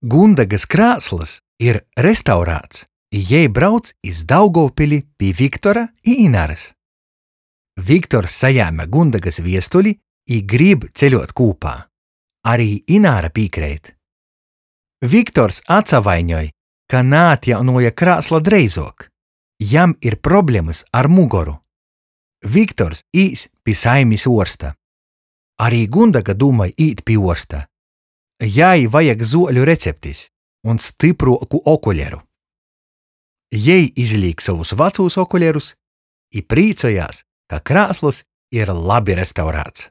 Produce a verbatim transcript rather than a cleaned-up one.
Gundegys krāslys ir restaurāts, i jei brauc iz Daugovpili pi Viktora i Inarys. Viktors sajēme Gundegys viestuli i grib ceļuot kūpā. Ari Ināra pīkreit. Viktors atsavaiņoj, ka naatjaunuoja krāsla dreizuok. Jam ir problemys ar mugoru. Viktors īs pi saimis uorsta. Ari Gundega dūmoj īt pi uorsta. Jai vajag zuoļu receptis un stypruoku okuleru. Jei izlīk sovus vacūs okulerus i prīcojās, ka krāslys ir labi restaurāts.